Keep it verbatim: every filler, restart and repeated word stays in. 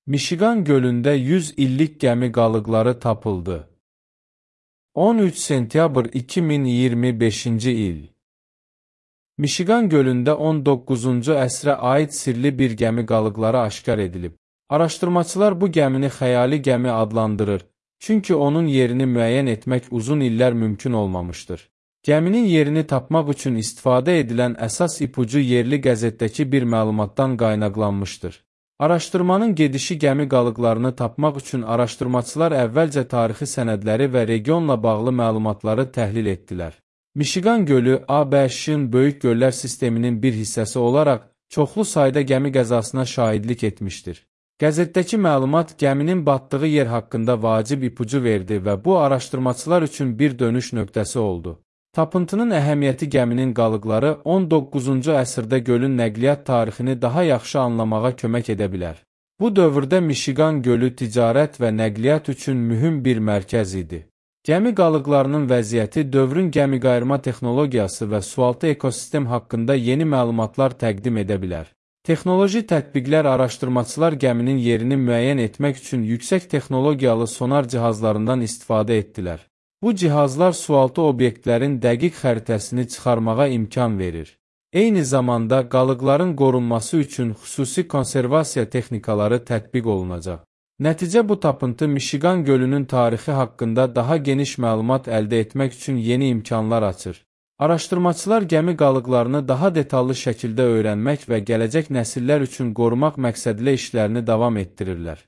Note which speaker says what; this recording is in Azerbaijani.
Speaker 1: Mişiqan gölündə yüz illik gəmi qalıqları tapıldı. on üç sentyabr iki min iyirmi beşinci il. Mişiqan gölündə on doqquzuncu əsrə aid sirli bir gəmi qalıqları aşkar edilib. Araşdırmaçılar bu gəmini xəyali gəmi adlandırır, çünki onun yerini müəyyən etmək uzun illər mümkün olmamışdır. Gəminin yerini tapmaq üçün istifadə edilən əsas ipucu yerli qəzetdəki bir məlumatdan qaynaqlanmışdır. Araşdırmanın gedişi gəmi qalıqlarını tapmaq üçün araşdırmaçılar əvvəlcə tarixi sənədləri və regionla bağlı məlumatları təhlil etdilər. Mişiqan gölü A B Ş-in böyük göllər sisteminin bir hissəsi olaraq çoxlu sayda gəmi qəzasına şahidlik etmişdir. Qəzetdəki məlumat gəminin batdığı yer haqqında vacib ipucu verdi və bu araşdırmaçılar üçün bir dönüş nöqtəsi oldu. Tapıntının əhəmiyyəti gəminin qalıqları on doqquzuncu əsrdə gölün nəqliyyat tarixini daha yaxşı anlamağa kömək edə bilər. Bu dövrdə Mişiqan gölü ticarət və nəqliyyat üçün mühüm bir mərkəz idi. Gəmi qalıqlarının vəziyyəti dövrün gəmiqayırma texnologiyası və sualtı ekosistem haqqında yeni məlumatlar təqdim edə bilər. Texnoloji tətbiqlər araşdırmaçılar gəminin yerini müəyyən etmək üçün yüksək texnologiyalı sonar cihazlarından istifadə etdilər. Bu cihazlar sualtı obyektlərin dəqiq xəritəsini çıxarmağa imkan verir. Eyni zamanda qalıqların qorunması üçün xüsusi konservasiya texnikaları tətbiq olunacaq. Nəticə bu tapıntı Mişiqan gölünün tarixi haqqında daha geniş məlumat əldə etmək üçün yeni imkanlar açır. Araşdırmaçılar gəmi qalıqlarını daha detallı şəkildə öyrənmək və gələcək nəsillər üçün qorumaq məqsədilə işlərini davam etdirirlər.